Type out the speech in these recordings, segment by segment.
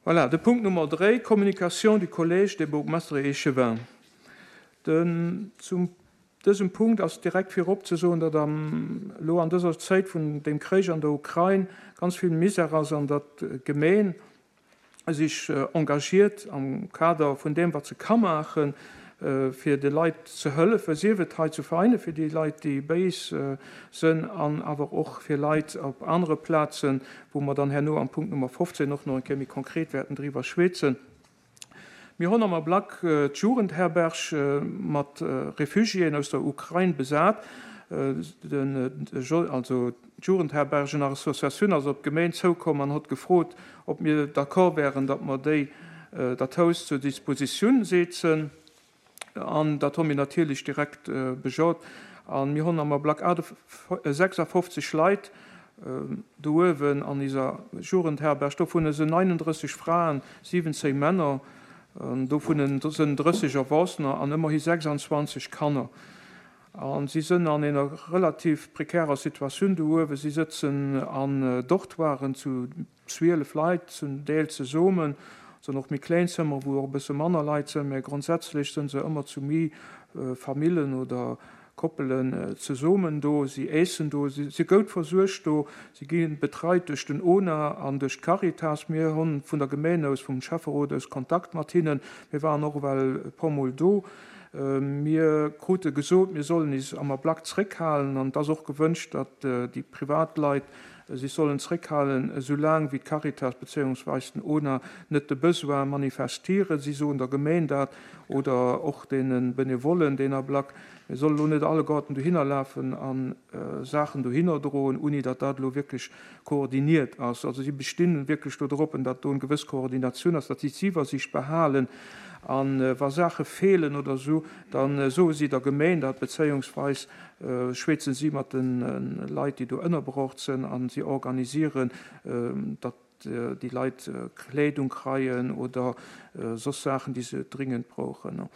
Voilà, de Punkt Nummer 3, Communication du Collège des bourgmestres et échevins. Den, zum dësem Punkt ass direkt virop ze soen, datt am, elo an dëser Zäit vun dem Kréich an der Ukrain ganz vill Misär ass an datt d'Gemeen sech engagiert am Kader vun deem, wat se ka maachen, fir de Leit ze hëllefen, sief et hei zu Vereine fir déi Leit, déi béis sënn, an awer och fir Leit op anere Plazen, wou mer dann herno am Punkt Nummer 15 och nach eng Kéier méi konkret wäerten driwwer schwätzen. Mir hunn am Ablack d'Jugendherberg mat Refugiéen aus der Ukrain besat. Also d'Jugendherbergenassociatioun ass op d'Gemeen zoukomm an hott gefrot, ob mir d'accord wären, datt mer déi dat Haus zur Dispositioun seezen. An dat hu mir natierlech direkt bejot. A mir hunn am Ablack 56 Leit do uewen an iser Jugendherberg. Dovun sinn 39 Fraen, 17 Männer, dovun sënn 30 Erwachsener an ëmmerhi 26 Kanner. A si sënn an ener relativ prekärer Situatioun do uewen. Si sëtzen an Dortoiren zu 12 Leit zum Deel zesummen. Et sënn och méi kléin Zëmmer, wou och e bësse manner Leit sënn, mä grondsätzlech sënn se ëmmer zu méi Famillen oder Koppelen zesummen do. Si äessen do, si si goud versuergt do, si gi betreit duerch den ona an duerch d'Caritas. Mir hunn vun der Gemeen aus, vum Schäfferot aus Kontakt mat hinnen. Mir waren och ewell e puer Mol do. Mir krute gesot, mir sollen is am Ablack zréckhalen an et ass och gewënscht, datt déi Privatleit sech sollen zréckhalen, esou laang wéi d'Caritas bezéiungsweis den ona net de Besoin manifestieren. Si soen der Gemeen dat oder och deene Benevollen deen Ablack, mir solle lo net alleguerten dohinner lafen a Saachen dohinner droen, ouni datt dat elo wierklech koordiniert ass. Also si bestinn wierklech do drop, datt do eng gewëss Koordinatioun ass, datt si d'Iwwersicht behalen a wa Saache feelen oder esou, da soe si der Gemeen dat, bezéiungsweis schwätzen si mat de Leit, déi do ënnerbrocht sënn a si organisieren, datt déi Leit Kleedung kreien oder soss Saachen, déi se dringend brauchen.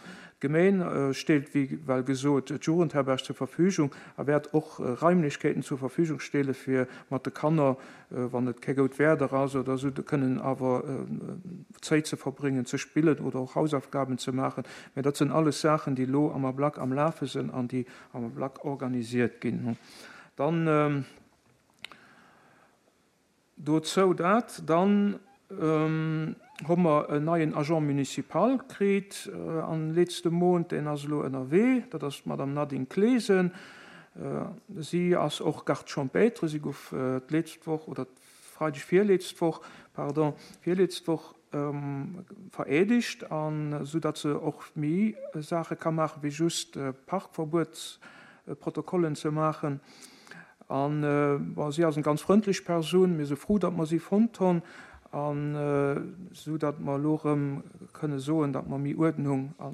D'Gemeen stellt, wéi well gesot, d'Jugendherberg zur Verfügung a wäert och Raimlechkeeten zur Verfügung stelle fir mat de Kanner, wann et kee goud Werder ass oder esou, kënnen awer Zéit ze verbréngen, ze spillen oder och Hausaufgaben ze maachen. Mä dat sënn alles Saachen, déi elo am Ablack am Lafe sënn an déi am Ablack organisiert ginn. Dann. Dozou dat, dann hu mer en neien Agent municipal kritt an letzte Mount, deen ass elo ënnerwee, dat ass d'Madame Nadine Clesen. Si ass och Garde champêtre, si gouf d'letzt Woch oder d'Freideg virletzt Woch, pardon, virletzt Woch vereedegt, an esou datt se och méi Saache ka maache wéi just Parkverbuetsprotokollen ze maachen. An, bon, si ass eng ganz frëndlech Persoun. Mir si frou, datt mer si fonnt hunn, an esou datt mer elo erëm kënne soen, datt mer méi Uerdnung a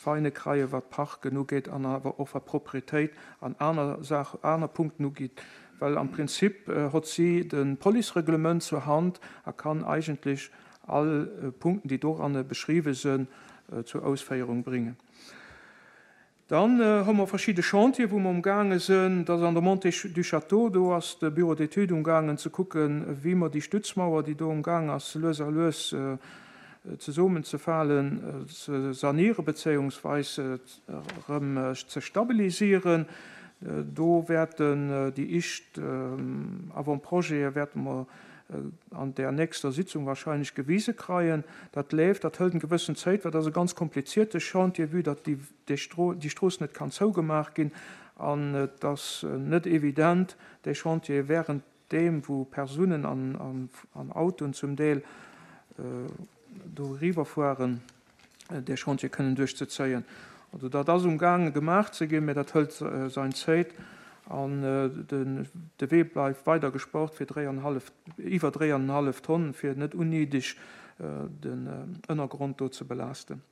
Veine kreien, wat d'Parken ugeet an awer och wat Propretéit an aner Saach, aner Punkten ugeet. Well am Prinzip hott si de Policereglement zur Hand a kann eigentlech all Punkten, déi doranne beschriwwe sënn, zur Ausféierung bréngen. Dann hu mer verschidde Chantieren, wou mer umgaange sinn. Dat ass an der Montée du Château. Do ass de Bureau d'études umgaangen ze kucken, wéi mer déi Stützmauer, déi do umgaang ass, lues a lues zesummenzefalen, ze sanieren bezéiungsweis erëm ze stabilisieren. Do wäerten déi éischt Avant-projete wäerte mer an där nächster Sitzung wahrscheinlech gewise kreien. Dat leeft, dat hëlt eng gewëssen Zéit, well dat ass e ganz komplizierte Chantier, vue datt déi déi Strooss net kann zougemaach ginn an et ass net evident, dee Chantier während deem, wou Persounen an Autoen zum Deel do eriwwerfueren, dee Chantier kënnen duerchzezéien. Also dat ass umgaange gemaach ze ginn, mä dat hëlt sein Zéit an de Wee bleift weider gespart fir iwwer 3,5 Tonn, fir net unnéideg den Ënnergrond do ze belaasten.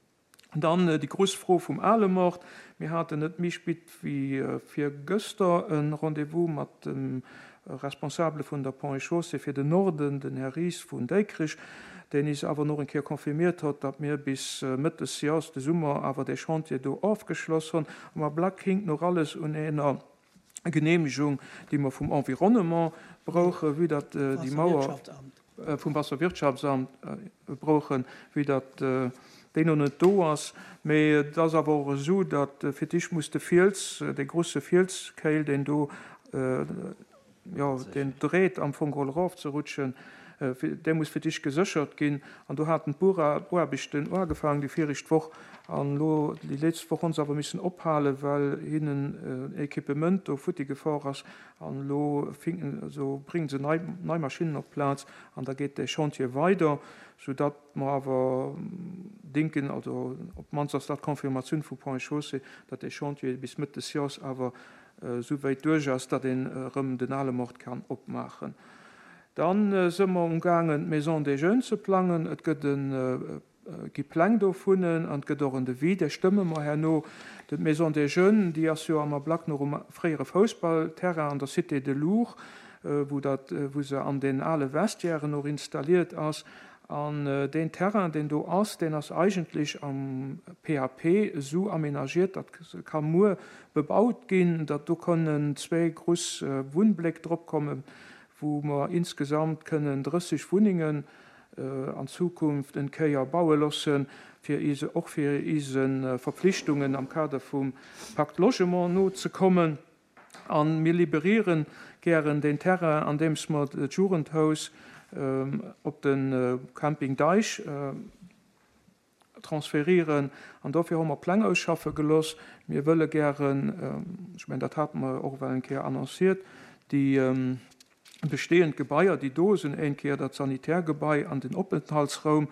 Dann déi grouss Fro vum Alemort. Mir haten net méi spit wéi virgëster e Rendez-vous mat dem Responsabele vun der Ponts et Chaussées fir den Norden, den Här Ries vun Déikrich, deen is awer nach eng Kéier confirmiert hott, datt mir bis Mëtt des Jahrs, de Summer, awer dee Chantier do ofgeschloss honn. Am Ablack hinkt nach alles un eener Genehmigung, déi mer vum Environnement brauchen, vue datt déi Mauer. vum Wasserwirtschaftsamt brauchen, wéi datt deen elo net do ass. Mee et ass awer och esou, datt fir d'éischt muss de Fiels, dee grusse Fielskéil, deen do, jo, deen dreet am Fong geholl erofzerutschen, dee muss fir d'éischt geséchert ginn. An do haten d'Bueraarbechten uagefaangen déi viregt Woch an elo déi létzt Woch hu se awer missen ophalen, well hinnen en Equipement do futti gefor ass. An elo bréngen se nei Maschinnen op d'Plaz an da geet dee Chantier weider, soudatt mer awer denken, also op d'mannst ass dat d'Confirmatioun vu Ponts et Chaussées, datt dee Chantier bis Mëtt des Jors awer esou wäit duerch ass, datt een erëm den ale Mord kann opmaachen. Da si mer umgaangen, d'Maison des Jeunes ze plangen. Et gëtt e gi Pläng dovunnen an et gëtt och en Devis, dee stëmme mer herno. D'Maison des Jeunes, déi ass jo am Ablack nach um fréiere Foussballterrain an der Cité de Lourdes, wou dat, wou se an den ale Vestiairen och installiert ass. An deen Terrain, deen do ass, deen ass eigentlech am PAP esou aménagiert, datt se ka muer bebaut ginn, datt do kënnen zwéi gruss Wunnbléck drop kommen, wou mer insgesamt kënnen 30 Wunnengen an Zukunft en Kéier baue loossen, fir ise, och fir ise Verpflichtungen am Kader vum Pacte Logement nozekommen. A mir liberieren gären deen Terrain, andeems mer d'Jugendhaus op de Camping Deich transférieren. An dofir hu mer Pläng ausschaffe gelooss. Mir wëlle gären, ech mengen, dat hate mer och ewell eng Kéier annonciert, déi bestehend Gebaier, déi do sinn, eng Kéier dat Sanitärgebai an den Openthaltsraum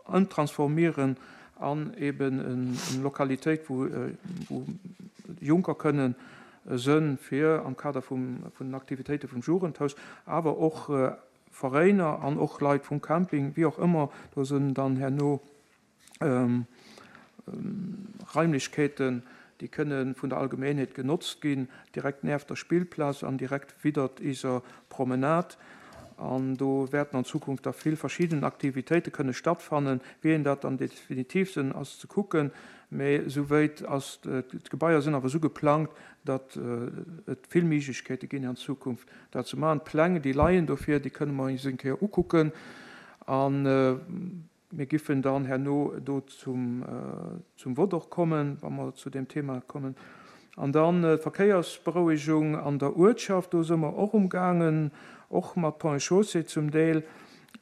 ëmtransformieren an eben eng Lokalitéit, wou Jonker kënnen sënn, fir am Kader vun den Aktivitéite vum Jugendhaus, awer och Veräiner an och Leit vum Camping, wéi och ëmmer, do sinn dann herno Raimlechkeeten, déi kënne vun der Allgemeenheet genotzt ginn, direkt nieft der Spillplaz an direkt widdert iser Promenade. An do wäerten an Zukunft da vill verschidden Aktivitéite kënne stattfannen. Wéi een dat dann definitiv sinn, ass ze kucken, mä souwéit ass, d'Gebaier sinn awer esou geplangt, datt et vill Méiglechkeete ginn an Zukunft dat ze maachen. D'Pläng, déi leien dofir, déi kënne mer eis eng Kéier ukucken. A mir giffen dann herno do zum Vott och kommen, wa mer zu deem Thema kommen. An dann d'Verkéiersberouegung an der Uertschaft, do si mer och umgaangen, och mat Ponts et Chaussées zum Deel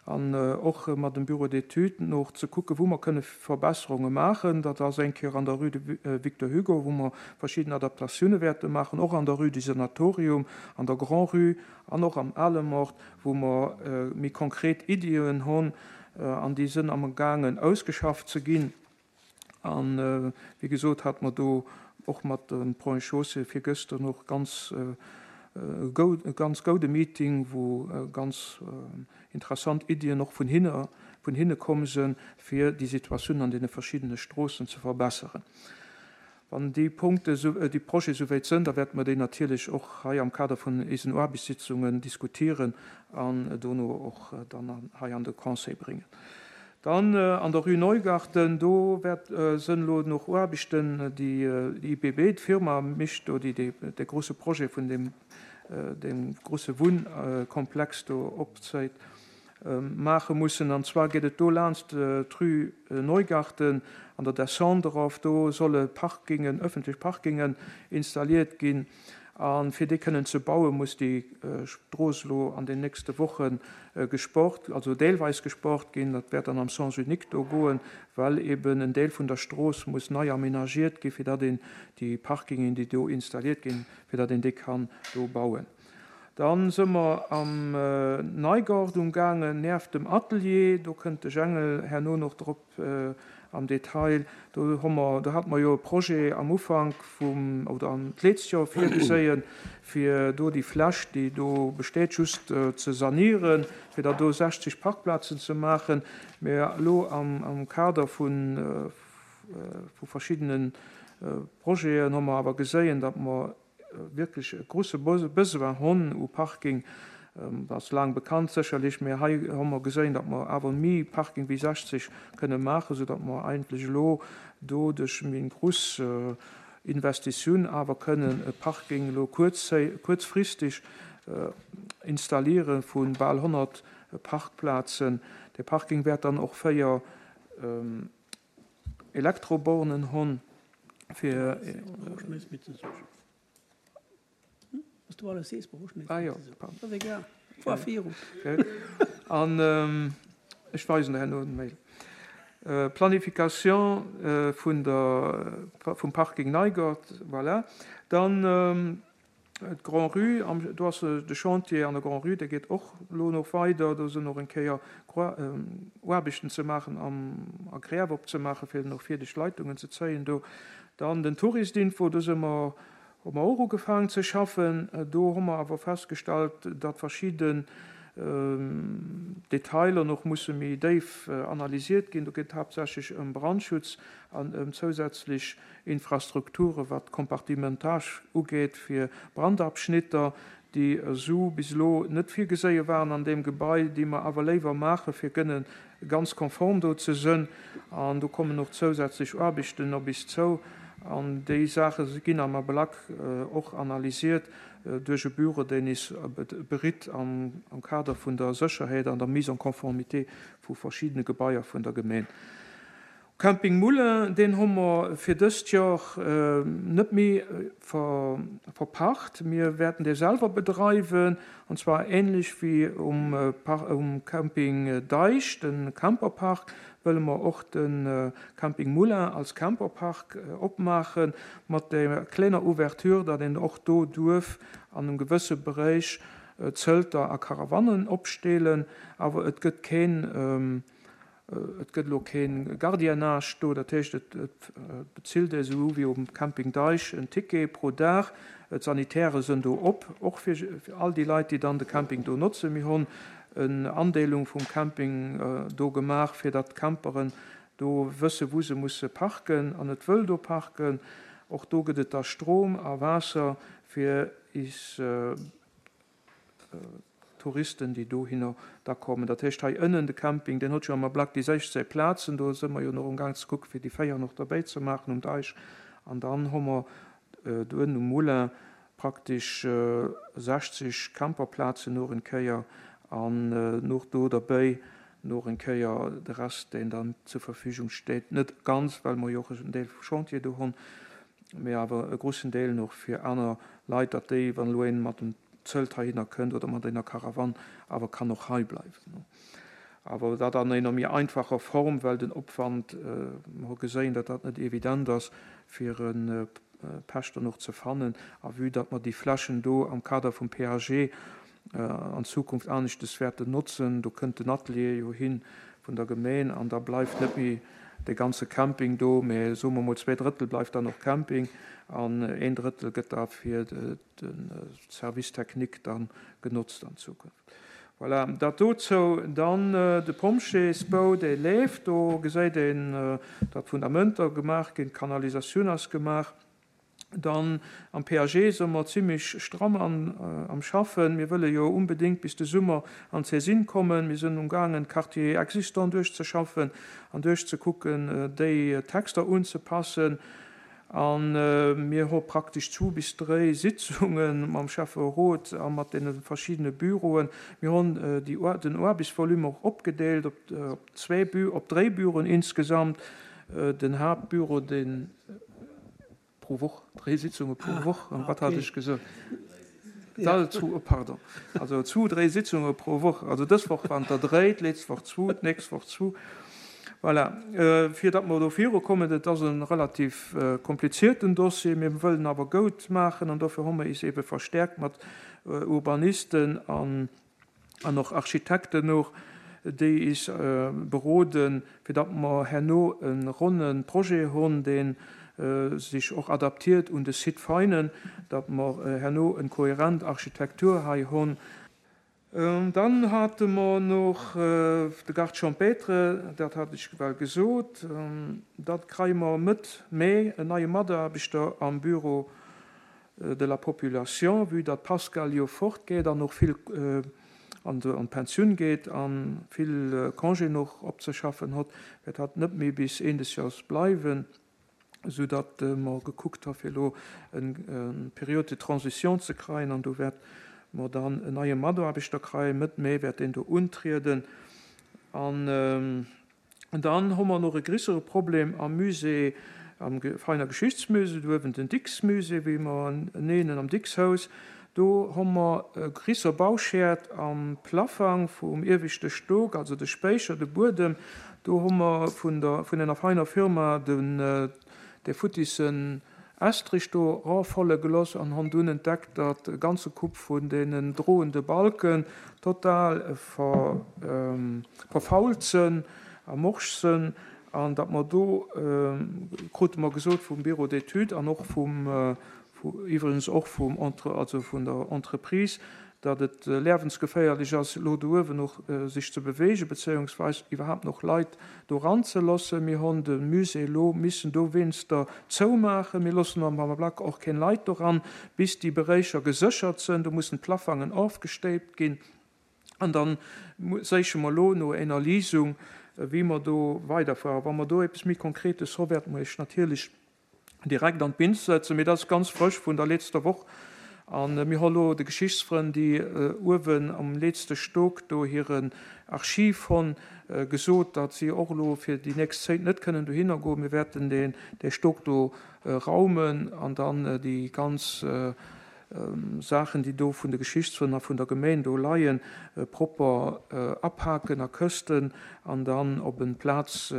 an och mat dem Bureau d'études no ze kucken, wou mer kënne Verbesserunge maachen. Dat ass eng Kéier an der Rue de Victor Hugo, wou mer verschidden Adaptatioune wäerte maachen, och an der Rue du Sanatorium, an der Grand-Rue an och am Alemort, wou mer méi konkret Iddien hunn an déi sënn amgaangen ausgeschafft ze ginn. A wéi gesot hate mer do och mat dem Ponts et Chaussées virgëschter och ganz e ganz goude Meeting, wou ganz interessant Iddien och vun hinne vun hinne komm sënn, fir déi Situatioun an deene verschiddene Stroossen ze verbesseren. Wann déi Punkte, déi Projete souwäit sënn, da wäerte mer déi natierlech och hei am Kader vun eisen Aarbechtssitzungen diskutieren an dono och dann hei an de Conseil bréngen. Dann an der Rue Neugarten, do wäert sënn elo noch Aarbechten, déi IBB, d'Firma mécht do, déi dee grouse Projet vun deem deem grouse Wunnkomplex do opzéit, maache mussen. An zwar geet et do laanscht d'Rue Neugarten an der Descente erof. Do solle Parkingen, öffentlech Parkingen installiert ginn. A fir déi kënnen ze bauen, muss déi Strooss elo an den nächste Woche gesport, also deelweis gesport ginn. Dat wäert dann am Sens unique do goen, well eben en Deel vun der Strooss muss nei aménagiert ginn, fir datt een déi Parkingen, déi do installiert ginn, fir datt een déi kann do bauen. Da si mer am Neigort umgaangen, nieft dem Atelier. Do kënnt de Jengel herno nach drop am Detail. Do hu mer, do hate mer jo e Projet am Ufank vum, oder an d'letzt Joer virgeséien, fir do déi Fläch, déi do besteet, just ze sanieren, fir da do 60 Parkplazen ze maachen. Mä elo am Kader vu verschiddene Projeten hu mer awer geséien, datt mer wierklech e grouse Besoin hunn u Parking. Dat ass laang bekannt sécherlech, mä hei hu mer geséin, datt mer awer méi Parking wéi 60 kënne maachen, soudatt mer eigentlech elo do duerch méi grouss Investitioun awer kënnen e Parking elo kuerzfristeg. Installiere vu bal 100 Parkplazen. De Parking wäert dann och 4 Elektrobornen hunn, fir. An ech weisen der herno den Mail. Planification vun der, vum Parking Neigert, voilà. Dann d'Grand-Rue, do ass de Chantier an der Grand-Rue, dee geet och elo nach weider. Do sinn och eng Kéier Aarbechten ze maachen a Gräf opzemaachen, fir och fierdeg Leitungen ze zéien do. Dann den Touristinfo, do si mer, hu mer och ugefaangen ze schaffen. Do hu mer awer festgestallt, datt verschidden Detailer nach musse méi déif analysiert ginn. Do geet et haaptsächlech ëm Brandschutz an ëm zousätzlech Infrastrukture wat d'Compartimentage ugeet fir Brandabschnitter, déi esou bis elo net virgeséie waren an deem Gebai, déi mer awer léiwer maache fir kënne ganz konform do ze sënn. An do kommen och zousätzlech Aarbechten op is zou. An déi Saache ginn am Ablack och analysiert duerch e Büro, deen is beritt am Kader vun der Sécherheet an der Mise en conformité vu verschiddene Gebaier vun der Gemeen. Camping Moulin, deen hu mer fir dëst Joer net méi verpacht. Mir wäerten dee selwer bedreiwen, an zwar ähnlech wéi um Camping Deich, de Camperpark, wëlle mer och de Camping Moulin als Camperpark opmaachen, mat der klenger Ouverture, datt een och do duerf an engem gewësse Beréich Zëlter a Caravanen opsteelen, awer et gëtt keen Et gëtt elo kee Gardiennage do, dat heescht et bezilt ee sou wéi um Camping Deich en Ticket pro Dag. D'Sanitäre sënn do op, och fir all déi Leit, déi dann de Camping do notzen. Mir hunn en Andeelung vum Camping do gemaach, fir datt d'Camperen do wësse wou se musse parken an net wëll do parken. Och do gëtt et da Strom a Waasser fir is. Touristen, déi dohinner da kommen. Dat heescht, hei ënnen de Camping, deen huet jo am Ablack déi 16 Plazen. Do si mer jo nach amgaang ze kucken, fir déi 4 nach derbäi ze maachen um Deich. An dann hu mer do ënnen um Moulin praktesch 60 Camperplazen nach eng Kéier an nach do derbäi nach eng Kéier de Rest, deen dann zur Verfügung steet. Net ganz, well mer jo och en Deel vum Chantier do hunn, mee awer e grussen Deel nach fir aner Leit, datt déi, wann elo een mat dem Zelt heihinner kënnt oder mat enger Caravane, awer kann och hei bleiwen. Awer dat an enger méi einfacher Form, well den Opwand, mer hu geséien, datt dat net evident ass, fir e Pächter och ze fannen. A vue datt mer déi Flächen do am Kader vum PAG an Zukunft aneschtes wäerten notzen, do kënnt den Atelier jo hin vun der Gemeen an da bleift net méi dee ganze Camping do, mä soe mer mol 2 Drëttel bleift dann och Camping an een Drëttel gëtt da fir de Service technique da genotzt an Zukunft. Voilà, dat dozou. Dann de Pompjeesbou, dee leeft. Do geséit een, datt d'Fundamenter gemaach ginn, d'Kanalisatioun ass gemaach. Dann am PAG si mer zimlech stramm am Schaffen. Mir wëlle jo unbedéngt bis de Summer an d'Saisine kommen. Mir sinn umgaangen, d'Quartiers existants duerchzeschaffen an duerchzekucken, déi Texter unzepassen. A mir hu praktesch zwu bis dréi Sitzunge mam Schäfferot a mat deene verschiddene Büroen. Mir hunn den Aarbechtsvolume och opgedeelt op zwee, op dréi Büroen insgesamt. Den Haaptbüro, deen. Pro Woch, dréi Sitzunge pro Woch, wat hat ech gesot? Oh, pardon. Also zwu, dréi Sitzunge pro Woch. Also dës Woch waren et der dréi, d'letzte Woch zwu, d'nächst Woch zwu. Voilà. Fir datt mer do virukommen, et ass e relativ komplizierten Dossier, mir wëllen awer goud maachen an dofir hu mer is eebe verstärkt mat Urbanisten an an och Architekten och, déi is beroden, fir datt mer herno e ronne Projet hunn, dee sech och adaptiert un de Site Veinen, datt mer herno en kohärent Architektur hei hunn. Dann hate mer nach de Garde champêtre, dat hat ech well gesot. Da kreie mer Mëtt Mee en neie Mataarbechter am Bureau de la population, vue datt d'Pascale jo fort geet an och vill an d'Pensioun geet a vill Congéen och opzeschaffen hott, wäert hatt net méi bis Een des Jahres bleiwen, esou datt mer gekuckt ha fir elo eng Période de transition ze kreien an do wäert. mer dann en neie Mataarbechter kreien. Mëtt Mee wäert deen do untrieden. An dann hu mer nach e grissere Problem am Musée, am Veiner Geschichtsmusée, do uewen den Dicks-Musée, wéi mer en nennen, am Dicks-Haus. Do hu mer e grisser Bauschäert am Plaffang vum ieweschte Stock, also de Spéicher, de Buedem. Do hu mer vun der, vun enger feiner Firma den, dee futtissen Estrich do rafolle geloss an hon dunn entdeckt, datt e ganze Coup vun deenen droende Balken total ver, verfault sënn a morsch sënn an datt mer do, krute mer gesot vum Bureau d'études an och vum, iwwregens och vum Entre, also vun der Entreprise, datt et liewensgeféierlech ass, elo do uewen och sech ze beweegen, bezéiungsweis iwwerhaapt nach Leit do eranzelossen. Mir honn de Musée elo missen dowéinster zoumaachen. Mir loossen am Ablack och keen Leit doran, bis déi Beréicher geséchert sënn. Do mussen d'Plaffangen ofgestéipt ginn. An da séiche mer elo no éner Lisung, wéi mer do weiderfueren. Wa mer do eppes méi Konkretes hu, wäerte mer Iech natierlech direkt an d'Binn ze setzen, mee dat ass ganz frësch vun der letzter Woch an mir hu lo de Geschichtsfrënn, déi uewen am letzte Stock do hiren Archiv honn, gesot, datt si och elo fir déi nächst Zéit net kënnen dohinner goen. Mir wäerten deen dee Stock do raumen an dann déi ganz Saachen, déi do vun de Geschichtsfrënn a vun der Geméin do leien, propper apaken a Këschten an dann op en Plaz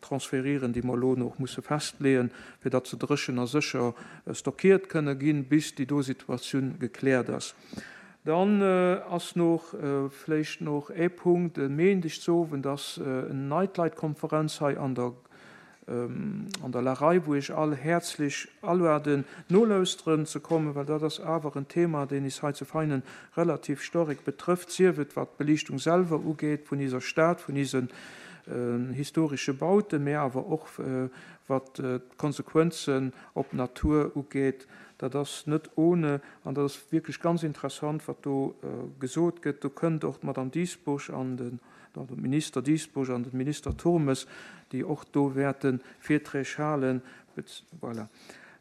transférieren, déi mer elo nach musse festleeën, fir datt se dréchen a sécher stockiert kënne ginn, bis déi do Situatioun gekläert ass. Dann ass nach vléicht nach ee Punkt, E Méindegowend ass en Nightlight-Konferenz hei an der an der Larei, wou ech all häerzlech aluaden, nolauschteren ze kommen, well dat ass awer en Thema, deen is hei zu Veinen relativ storek betrëfft, sief et wat d'Beliichtung selwer ugeet vun iser Stad, vun isen historesche Bauten, mä awer och wat d'Konsequenzen op d'Natur ugeet. Dat ass net ohne an dat ass wierklech ganz interessant, wat do gesot gëtt. Do kënnt och d'Madame Dieschbourg an den de Minister Dieschbourg an de Minister Turmes, déi och do wäerte Virträg halen. Voilà.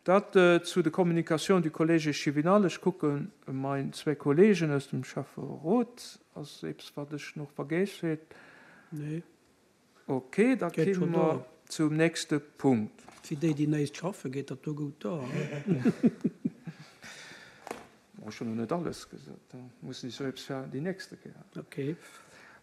Dat zu de Communications du Collège échevinal. Ech kucke mein zwee Kollegen aus dem Schäfferot. Ass eppes, wat ech nach vergéss huet? Nee. Ok, da Geet komme schon mer do. zum nächste Punkt. Fir déi, déi néist schaffen, geet dat do goud do. Ech hunn nach net alles gesot, da mussen ech sou eppes fir déi nächste Kéier. Ok.